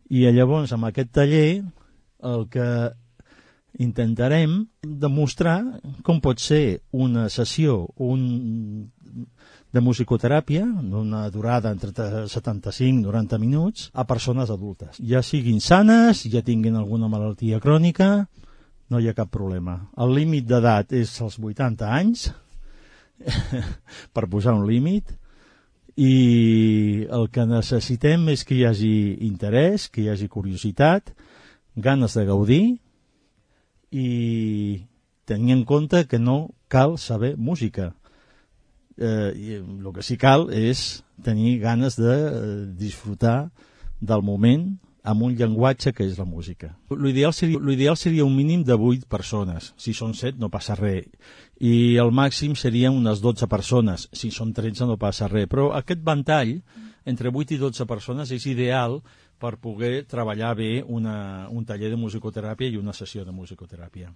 I llavors, amb aquest taller, el que intentarem demostrar com pot ser una sessió de musicoteràpia d'una durada entre 75 i 90 minuts a persones adultes. Ja siguin sanes, ja tinguin alguna malaltia crònica, no hi ha cap problema. El límit d'edat és els 80 anys, per posar un límit, i el que necessitem és que hi hagi interès, que hi hagi curiositat, ganes de gaudir, i tenir en compte que no cal saber música. El que sí cal és tenir ganes de disfrutar del moment amb un llenguatge que és la música. L'ideal seria un mínim de 8 persones. Si són 7 no passa res. I el màxim serien unes 12 persones. Si són 13 no passa res. Però aquest ventall entre 8 i 12 persones és ideal per poder treballar bé un taller de musicoteràpia i una sessió de musicoteràpia.